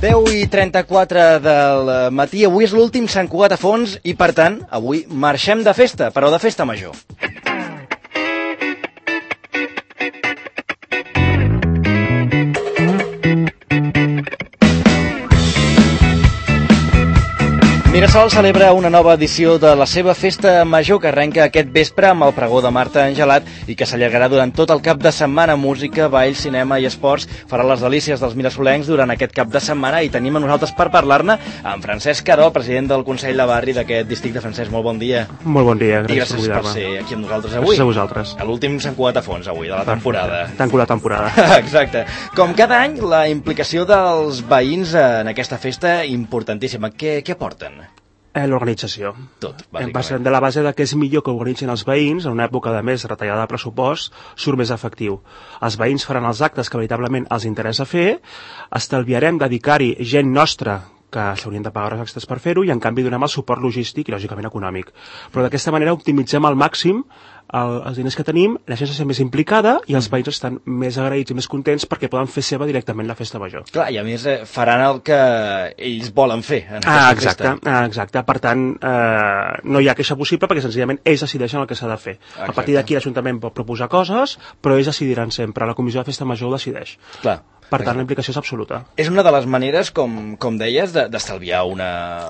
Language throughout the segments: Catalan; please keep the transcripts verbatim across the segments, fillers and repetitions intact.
deu i trenta-quatre del matí, avui és l'últim Sant Cugat a fons i, per tant, avui marxem de festa, però de festa major. Mirasol celebra una nova edició de la seva festa major que arrenca aquest vespre amb el pregó de Marta Angelat i que s'allargarà durant tot el cap de setmana. Música, ball, cinema i esports farà les delícies dels mirasolencs durant aquest cap de setmana i tenim a nosaltres per parlar-ne amb Francesc Caró, president del Consell de Barri d'aquest districte. Francesc, molt bon dia. Molt bon dia, gràcies, I gràcies per, per ser aquí amb nosaltres avui. Gràcies a vosaltres. A l'últim Sant Cugat a fons avui, de la temporada. Tanco la temporada. Exacte. Com cada any, la implicació dels veïns en aquesta festa importantíssima. Què, què aporten? Eh, L'organització. Tot, bàsicament. Passant de la base de que és millor que organitzin els veïns, en una època de més retallada de pressupost, surt més efectiu. Els veïns faran els actes que veritablement els interessa fer, estalviarem dedicar-hi gent nostra que s'haurien de pagar els extras per fer-ho, i en canvi donem el suport logístic i lògicament econòmic. Però d'aquesta manera optimitzem al màxim el, els diners que tenim, la gent s'està més implicada i els veïns estan més agraïts i més contents perquè poden fer seva directament la festa major. Clar, i a més eh, faran el que ells volen fer en aquesta ah, exacte, festa. Ah, exacte. Per tant, eh, no hi ha queixa possible perquè senzillament ells decideixen el que s'ha de fer. Exacte. A partir d'aquí l'Ajuntament pot proposar coses, però ells decidiran sempre. La Comissió de Festa Major ho decideix. Clar. Per tant, la implicació és absoluta. És una de les maneres, com, com deies, d'estalviar una,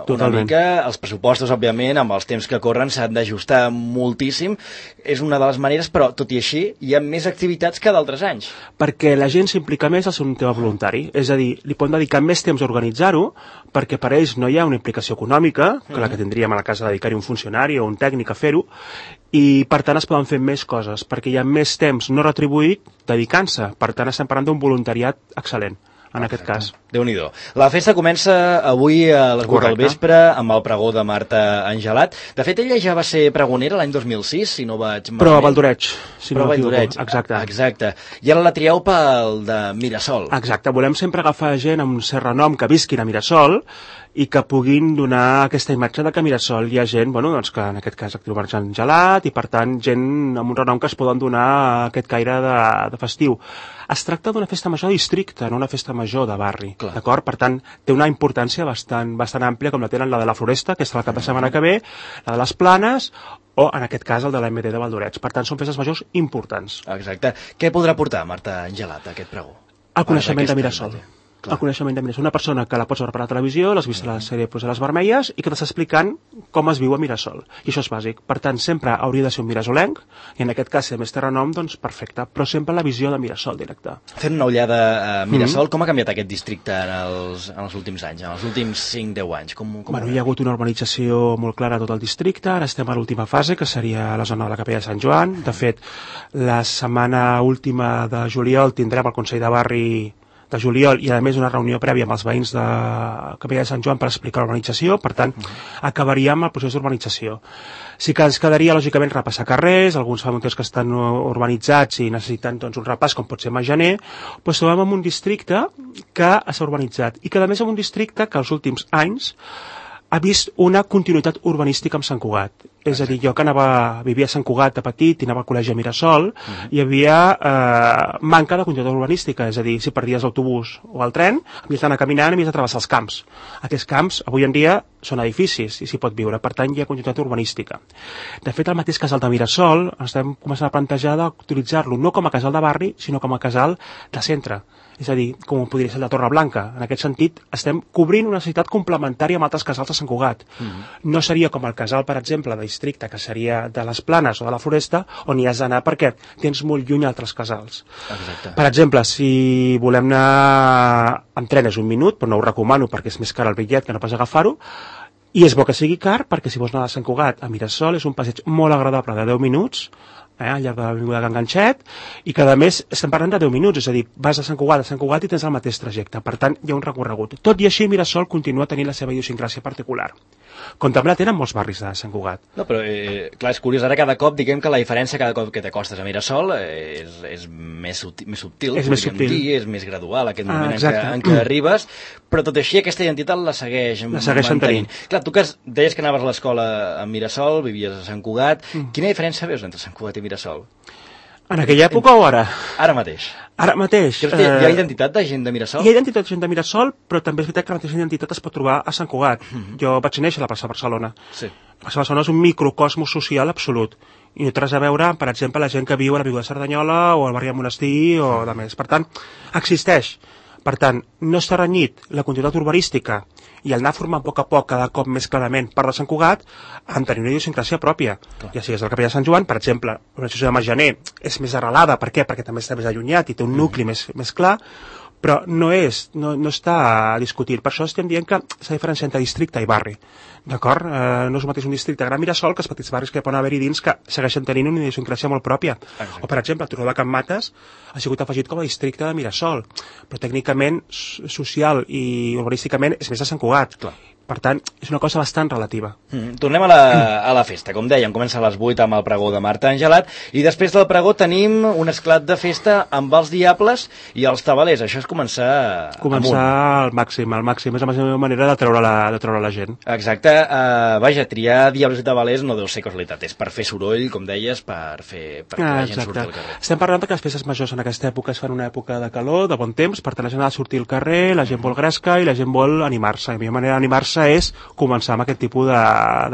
una mica. Els pressupostos, òbviament, amb els temps que corren, s'han d'ajustar moltíssim. És una de les maneres, però, tot i així, hi ha més activitats que d'altres anys. Perquè la gent s'implica més al ser un tema voluntari. És a dir, li poden dedicar més temps a organitzar-ho, perquè per ells no hi ha una implicació econòmica, que la que tindríem a la casa de dedicar-hi un funcionari o un tècnic a fer-ho, i per tant es poden fer més coses, perquè hi ha més temps no retribuït dedicant-se. Per tant estem parlant d'un voluntariat excel·lent en aquest cas. Déu-n'hi-do. La festa comença avui a les vuit del vespre amb el pregó de Marta Angelat. De fet, ella ja va ser pregonera l'any dos mil sis, si no vaig malament. Però a Valdoreig. Si Però no a Valdoreig, exacte. exacte. I ara la trieu pel de Mirasol. Exacte, volem sempre agafar gent amb un cert renom que visquin a Mirasol i que puguin donar aquesta imatge de que a Mirasol hi ha gent, bueno, doncs que en aquest cas actiu Marta Angelat, i per tant gent amb un renom que es poden donar aquest caire de, de festiu. Es tracta d'una festa major de districte, no una festa major de barri, d'acord? Per tant, té una importància bastant, bastant àmplia, com la tenen la de la Floresta, que és el cap de setmana que ve, la de les Planes, o en aquest cas el de l'A M D de Valdoreig. Per tant, són festes majors importants. Exacte. Què podrà portar Marta Angelat a aquest pregó? El coneixement de Mirasol. Clar. El coneixement de Mirasol. Una persona que la pots veure per la televisió, l'has vist a la sèrie pues, a les Vermelles, i que t'està explicant com es viu a Mirasol. I això és bàsic. Per tant, sempre hauria de ser un mirasolenc, i en aquest cas, si a més té renom, doncs perfecte. Però sempre la visió de Mirasol directe. Fent una ullada a Mirasol, mm-hmm. com ha canviat aquest districte en els, en els últims anys, en els últims cinc deu anys? Com, com bueno, hi ha hagut una urbanització molt clara a tot el districte, ara estem a l'última fase, que seria la zona de la Capella de Sant Joan. De fet, la setmana última de juliol tindrem el Consell de Barri de juliol i a més una reunió prèvia amb els veïns de Capella de Sant Joan per explicar l'urbanització. Per tant, acabaríem el procés d'urbanització. Sí que ens quedaria, lògicament, repassar carrers, alguns famoters que estan urbanitzats i necessiten doncs, un repàs, com pot ser Magener, però trobem en un districte que s'ha urbanitzat i que, a més, en un districte que els últims anys ha vist una continuïtat urbanística amb Sant Cugat. És a dir, jo que anava, vivia a Sant Cugat de petit i anava al col·legi a Mirasol, uh-huh. hi havia eh, manca de continuïtat urbanística, és a dir, si perdies l'autobús o el tren, havies d'anar caminant i havies de travessar els camps. Aquests camps, avui en dia, són edificis i s'hi pot viure, per tant, hi ha continuïtat urbanística. De fet, el mateix casal de Mirasol, estem començant a plantejar d'utilitzar-lo no com a casal de barri, sinó com a casal de centre. És a dir, com podria ser el de Torreblanca. En aquest sentit, estem cobrint una necessitat complementària amb altres casals de Sant Cugat. Mm-hmm. No seria com el casal, per exemple, de districte, que seria de les Planes o de la Floresta, on hi has d'anar perquè tens molt lluny altres casals. Exacte. Per exemple, si volem anar amb tren és un minut, però no ho recomano perquè és més car el bitllet que no pas agafar-ho, i és bo que sigui car perquè si vols anar a Sant Cugat a Mirasol és un passeig molt agradable de deu minuts, eh, al llarg de l'avinguda Can Ganxet, i que a més estem parlant de deu minuts, és a dir, vas a Sant Cugat a Sant Cugat i tens el mateix trajecte, per tant hi ha un recorregut. Tot i així Mirasol continua tenint la seva idiosincràsia particular, com també la tenen molts barris de Sant Cugat. No, però eh, clar, és curiós, ara cada cop diguem que la diferència cada cop que t'acostes a Mirasol eh, és, és més, subtil, més subtil, és més subtil, dir, és més gradual aquest moment ah, en, què, en què arribes, però tot així aquesta identitat la segueix la segueixen mantenint. tenint. Clar, tu que deies que anaves a l'escola a Mirasol, vivies a Sant Cugat, mm. quina diferència veus entre Sant Cugat i Mirasol? En aquella època o ara? Ara mateix. Ara mateix. Creus que hi ha identitat de gent de Mirasol? Hi ha identitat de gent de Mirasol, però també és veritat que la mateixa identitat es pot trobar a Sant Cugat. Mm-hmm. Jo vaig néixer a la plaça Barcelona. Sí. La plaça Barcelona és un microcosmos social absolut. I no té res a veure, per exemple, la gent que viu a l'Avinguda de Cerdanyola o al barri de Monestir o de més. Per tant, existeix. Per tant, no està renyit la continuïtat urbanística i el anar formant a poc a poc cada cop més clarament part de Sant Cugat amb tenir una idiosincràsia pròpia. Clar. Ja sigui des del Capellà de Sant Joan, per exemple, l'organització de Margener és més arrelada, per què? Perquè també està més allunyat i té un nucli mm. més, més clar, però no és, no, no està discutit. Per això estem dient que s'ha diferenciat entre districte i barri. D'acord? Eh, no és el mateix un districte Gran Mirasol que els petits barris que poden haver-hi dins que segueixen tenint una idiosincràsia molt pròpia. Exacte. O, per exemple, el Turó de Can Mates ha sigut afegit com a districte de Mirasol, però tècnicament, social i urbanísticament és més de Sant Cugat. Clar. Per tant, és una cosa bastant relativa. Mm, tornem a la, a la festa. Com dèiem, comença a les vuit amb el pregó de Marta Angelat i després del pregó tenim un esclat de festa amb els Diables i els Tabalers. Això és començar Començar amunt. al màxim. Al màxim és la meva manera de treure la, de treure la gent. Exacte. Uh, vaja, triar Diables i Tabalers no deu ser casualitat. És per fer soroll, com deies, per fer per que ah, la gent surti al carrer. Estem parlant que les festes majors en aquesta època es fan una època de calor, de bon temps, per tant la gent ha de sortir al carrer, la gent vol gresca i la gent vol animar-se. I la meva manera d'animar-se és començar amb aquest tipus de,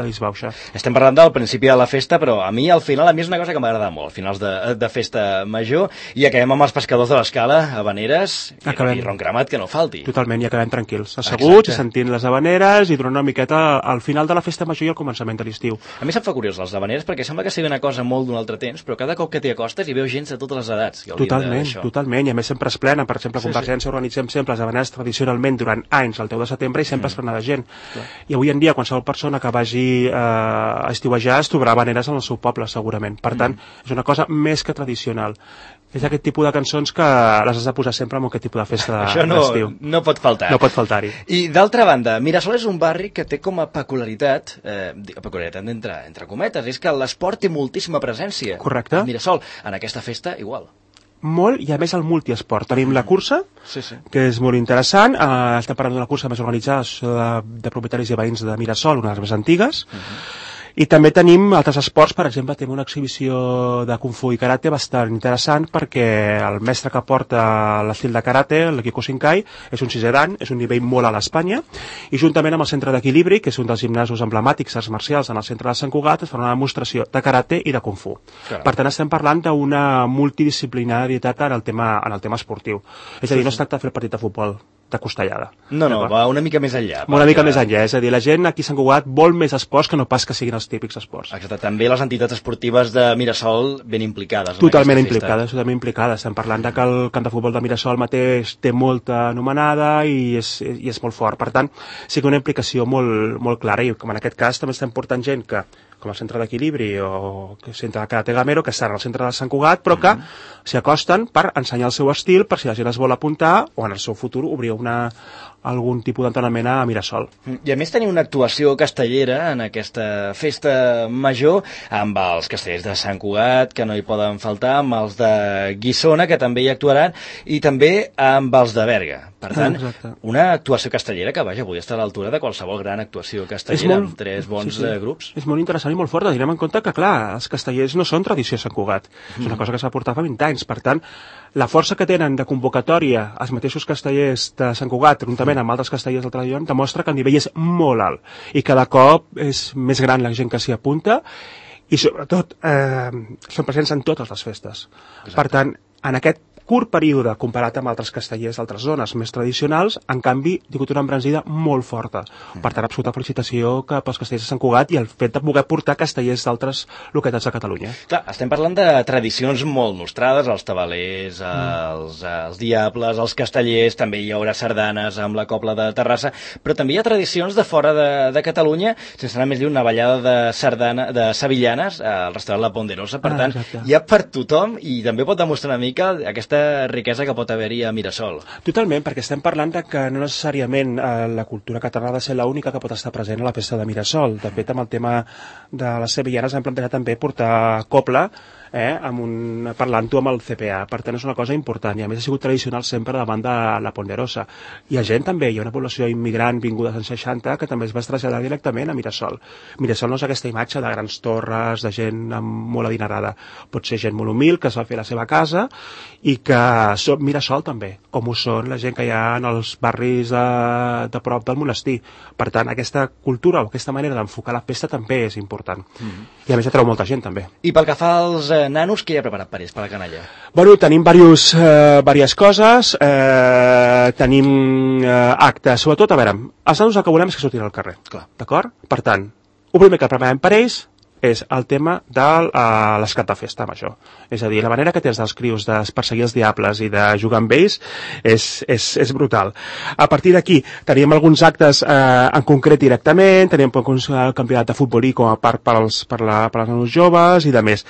de disbauxa. Estem parlant del principi de la festa, però a mi al final, a mi és una cosa que m'agrada molt, finals de, de festa major, i acabem amb els pescadors de l'Escala, habaneres, i, i ron cremat, que no falti. Totalment, i acabem tranquils, asseguts, i sentint les habaneres, i durant una miqueta al final de la festa major i al començament de l'estiu. A mi se'm fa curiós les habaneres, perquè sembla que sigui una cosa molt d'un altre temps, però cada cop que t'hi acostes hi veu gent de totes les edats. Totalment, totalment, i a més sempre es plena, per exemple, a Convergència sí, sí. organitzem sempre les habaneres tradicionalment durant anys, el deu de setembre, i sempre mm. es plena de gent. Clar. I avui en dia, qualsevol persona que vagi eh, a estiuejar es trobarà habaneres en el seu poble, segurament. Per tant, mm. és una cosa més que tradicional. És aquest tipus de cançons que les has de posar sempre en aquest tipus de festa d'estiu. Això no, no pot faltar. No pot faltar-hi. I d'altra banda, Mirasol és un barri que té com a peculiaritat, eh, peculiaritat entre, entre cometes, és que l'esport té moltíssima presència. Correcte. Mirasol, en aquesta festa, igual. Molt, i a més el multiesport. Tenim la cursa, sí, sí. que és molt interessant. Uh, estem parlant d'una cursa més organitzada de, de propietaris i veïns de Mirasol, una de les més antigues. Uh -huh. I també tenim altres esports, per exemple, tenim una exhibició de Kung Fu i Karate bastant interessant perquè el mestre que porta l'estil de Karate, el Kiko Shinkai, és un sisè dan, és un nivell molt alt a Espanya, i juntament amb el Centre d'Equilibri, que és un dels gimnasos emblemàtics arts marcials en el centre de Sant Cugat, es fa una demostració de Karate i de Kung Fu. Caram. Per tant, estem parlant d'una multidisciplinarietat en el tema, en el tema esportiu. És a dir, no es tracta de fer el partit de futbol de costellada. No, no, va una mica més enllà. Una mica més enllà, és a dir, la gent aquí a Sant Cugat vol més esports que no pas que siguin els típics esports. Exacte, també les entitats esportives de Mirasol ben implicades. Totalment implicades, totalment implicades. Estem parlant de que el camp de futbol de Mirasol mateix té molta anomenada i és, i és molt fort. Per tant, sí que una implicació molt, molt clara, i com en aquest cas també estem portant gent que com el Centre d'Equilibri o el Centre de Karate Gamero, que estan al centre de Sant Cugat, però que mm-hmm. s'hi acosten per ensenyar el seu estil, per si la gent es vol apuntar, o en el seu futur obrir una, algun tipus d'entrenament a Mirasol. I a més tenim una actuació castellera en aquesta festa major, amb els castellers de Sant Cugat, que no hi poden faltar, amb els de Guissona, que també hi actuaran, i també amb els de Berga. Per tant, ah, una actuació castellera que, vaja, avui està a l'altura de qualsevol gran actuació castellera, molt, amb tres bons sí, sí. grups. És molt interessant i molt forta. Tindrem en compte que, clar, els castellers no són tradició a Sant Cugat. Mm. És una cosa que s'ha portat fa vint anys. Per tant, la força que tenen de convocatòria els mateixos castellers de Sant Cugat, juntament amb altres castellers del Tradillon, demostra que el nivell és molt alt i cada cop és més gran la gent que s'hi apunta i, sobretot, eh, són presents en totes les festes. Exacte. Per tant, en aquest curt període comparat amb altres castellers d'altres zones més tradicionals, en canvi, ha tingut una embranzida molt forta. Mm. Per tant, absoluta felicitació cap als castellers de Sant Cugat i el fet de poder portar castellers d'altres localitats de Catalunya. Clar, estem parlant de tradicions molt nostrades, els tabalers, els, mm. els diables, els castellers, també hi haurà sardanes amb la Cobla de Terrassa, però també hi ha tradicions de fora de, de Catalunya, sense anar més lluny, una ballada de sardana, de sevillanes al restaurant La Ponderosa, per ah, tant, exacte. Hi ha per tothom i també pot demostrar una mica aquesta riquesa que pot haver-hi a Mirasol. Totalment, perquè estem parlant de que no necessàriament eh, la cultura catalana ha de ser l'única que pot estar present a la festa de Mirasol. De fet, amb el tema de les sevillanes hem plantejat també portar cobla eh, amb un, parlant-ho amb el C P A. Per tant, és una cosa important i a més ha sigut tradicional sempre davant de la Ponderosa. Hi ha gent també, hi ha una població immigrant vinguda als anys seixanta que també es va traslladar directament a Mirasol. Mirasol no és aquesta imatge de grans torres, de gent molt adinerada. Pot ser gent molt humil que es va fer la seva casa i que són Mirasol també, com ho són la gent que hi ha en els barris de, de prop del monestir. Per tant, aquesta cultura o aquesta manera d'enfocar la festa també és important. Mm-hmm. I a més atreu molta gent també. I pel que fa als eh, nanos, què hi ha preparat per ells, per la canalla? Bueno, tenim diversos, eh, diverses coses, eh, tenim eh, actes, sobretot, a veure, els nanos el que volem és que surtin al carrer, d'acord? Per tant, el primer que preparem per ells és el tema de uh, l'esclat de festa major. És a dir, la manera que tens dels crios de perseguir els diables i de jugar amb ells és, és, és brutal. A partir d'aquí teníem alguns actes uh, en concret directament, teníem un campionat de futbolí com a part per als, per la, per als nanos joves i de més.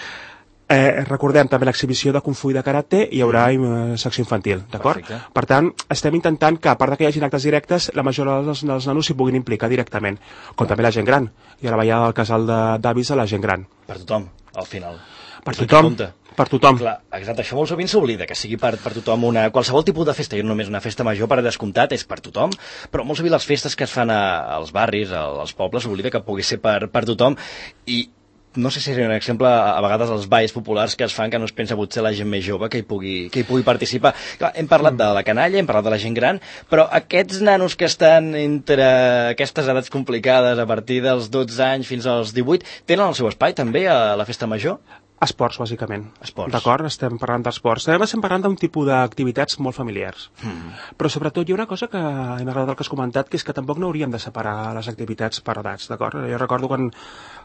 Eh, recordem també l'exhibició de Kung Fu i de Karate, hi haurà eh, secció infantil, d'acord? Per tant, estem intentant que, a part que hi hagi actes directes, la majoria dels, dels nanos s'hi puguin implicar directament, com també la gent gran. I ara veia el casal d'avis de la gent gran. Per tothom, al final. Per tothom, per tothom. Clar, exacte, això molt sovint s'oblida, que sigui per, per tothom una, qualsevol tipus de festa, i no només una festa major per descomptat, és per tothom, però molt sovint les festes que es fan a, als barris, als pobles, s'oblida que pugui ser per, per tothom, i no sé si és un exemple, a vegades els balls populars que es fan que no es pensa potser la gent més jove que hi pugui, que hi pugui participar. Clar, hem parlat de la canalla, hem parlat de la gent gran, però aquests nanos que estan entre aquestes edats complicades a partir dels dotze anys fins als divuit, tenen el seu espai també a la festa major? Esports, bàsicament. Esports. D'acord? Estem parlant d'esports. També estem parlant d'un tipus d'activitats molt familiars. Mm. Però sobretot hi ha una cosa que m'ha agradat el que has comentat, que és que tampoc no hauríem de separar les activitats per edats, d'acord? Jo recordo quan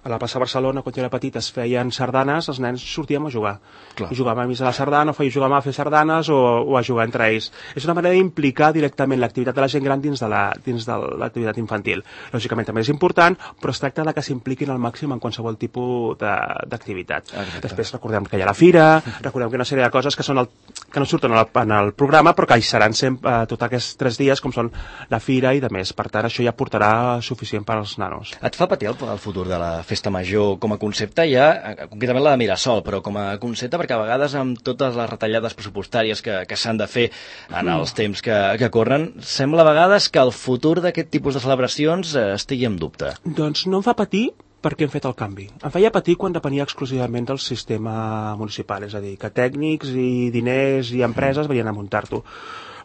a la plaça Barcelona, quan jo era petit, es feien sardanes, els nens sortíem a jugar. Clar. I jugàvem a missa a la sardana, o feia jugar a fer sardanes o, o a jugar entre ells. És una manera d'implicar directament l'activitat de la gent gran dins de la, dins de l'activitat infantil. Lògicament també és important, però es tracta de que s'impliquin al màxim en qualsevol tipus d'activitat. Després recordem que hi ha la fira, recordem que hi ha una sèrie de coses que, són el, que no surten en el, en el programa, però que hi seran sempre eh, tots aquests tres dies, com són la fira i de més. Per tant, això ja portarà suficient per als nanos. Et fa patir el, el futur de la festa major com a concepte, ja, concretament la de Mirasol, però com a concepte, perquè a vegades amb totes les retallades pressupostàries que, que s'han de fer en els temps que, que corren, sembla a vegades que el futur d'aquest tipus de celebracions eh, estigui en dubte. Doncs no em fa patir, perquè hem fet el canvi. Em feia patir quan depenia exclusivament del sistema municipal, és a dir, que tècnics i diners i empreses venien a muntar-t'ho.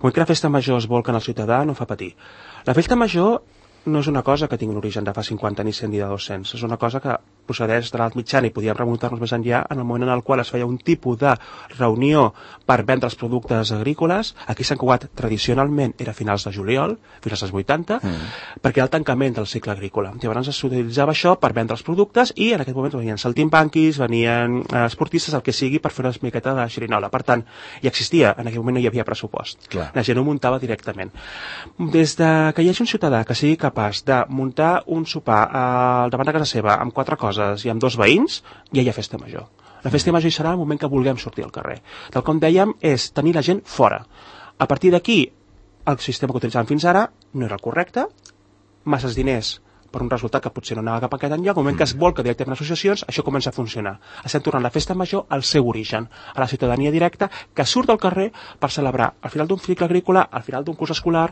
Quan que la festa major es volca en el ciutadà no fa patir. La festa major no és una cosa que tingui un origen de fa cinquanta ni cent ni de dos-cents, és una cosa que procedeix de l'edat mitjana i podíem remuntar-nos més enllà en el moment en el qual es feia un tipus de reunió per vendre els productes agrícoles. Aquí Sant Cugat tradicionalment era a finals de juliol, fins als vuitanta, mm. perquè era el tancament del cicle agrícola. Llavors s'utilitzava això per vendre els productes i en aquest moment venien saltimbanquis, venien eh, esportistes, el que sigui, per fer una miqueta de xerinola. Per tant, hi existia, en aquell moment no hi havia pressupost. Clar. La gent ho muntava directament. Des de que hi hagi un ciutadà que sigui capaç de muntar un sopar eh, davant de casa seva amb quatre coses i amb dos veïns, ja hi ha festa major. La festa major hi serà el moment que vulguem sortir al carrer. Tal com dèiem, és tenir la gent fora. A partir d'aquí, el sistema que utilitzàvem fins ara no era el correcte, masses diners per un resultat que potser no anava cap a aquest enllà. Al moment que es volca directament a associacions, això comença a funcionar. Estem tornant la festa major al seu origen, a la ciutadania directa que surt al carrer per celebrar al final d'un cicle agrícola, al final d'un curs escolar,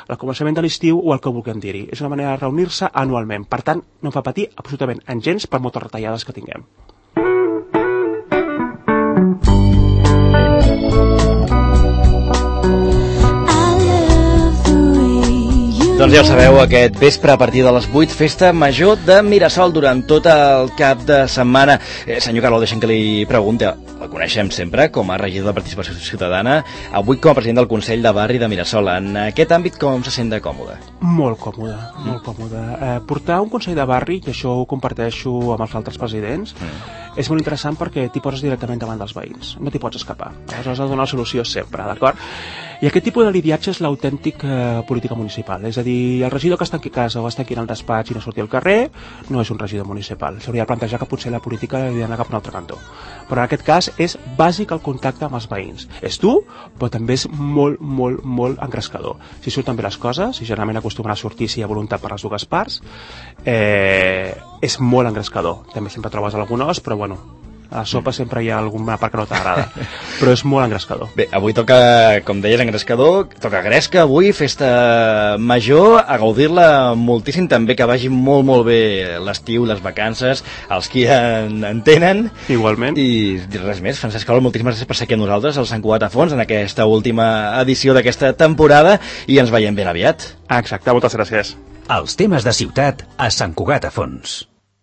al començament de l'estiu o el que vulguem dir-hi. És una manera de reunir-se anualment. Per tant, no em fa patir absolutament en gens per moltes retallades que tinguem. Doncs ja ho sabeu, aquest vespre a partir de les vuit, festa major de Mirasol durant tot el cap de setmana. Eh, senyor Carol, deixem que li pregunti, la coneixem sempre com a regidor de Participació Ciutadana, avui com a president del Consell de Barri de Mirasol. En aquest àmbit com se sent de còmode? Molt còmode, mm. molt còmode. Eh, portar un Consell de Barri, i això ho comparteixo amb els altres presidents, mm. és molt interessant perquè t'hi poses directament davant dels veïns, no t'hi pots escapar. Aleshores has de donar la solució sempre, d'acord? I aquest tipus de lidiatge és l'autèntic eh, política municipal, és a dir, el regidor que està aquí a casa o està aquí en el despatx i no surti al carrer no és un regidor municipal. S'hauria de plantejar que potser la política hauria d'anar cap a un altre cantó. Però en aquest cas és bàsic el contacte amb els veïns. És dur, però també és molt, molt, molt engrescador. Si surten bé les coses, si generalment acostumen a sortir si hi ha voluntat per les dues parts, eh, és molt engrescador. També sempre trobes algun os, però bueno, A la sopa sempre hi ha alguna part que no t'agrada, però és molt engrescador. Bé, avui toca, com deies, engrescador, toca gresca avui, festa major, a gaudir-la moltíssim, també que vagi molt, molt bé l'estiu, les vacances, els qui en, en tenen. Igualment. I res més, Francesc Carol, moltíssimes gràcies per ser aquí amb nosaltres, al Sant Cugat a Fons, en aquesta última edició d'aquesta temporada, i ens veiem ben aviat. Exacte, moltes gràcies. Els temes de ciutat a Sant Cugat a Fons.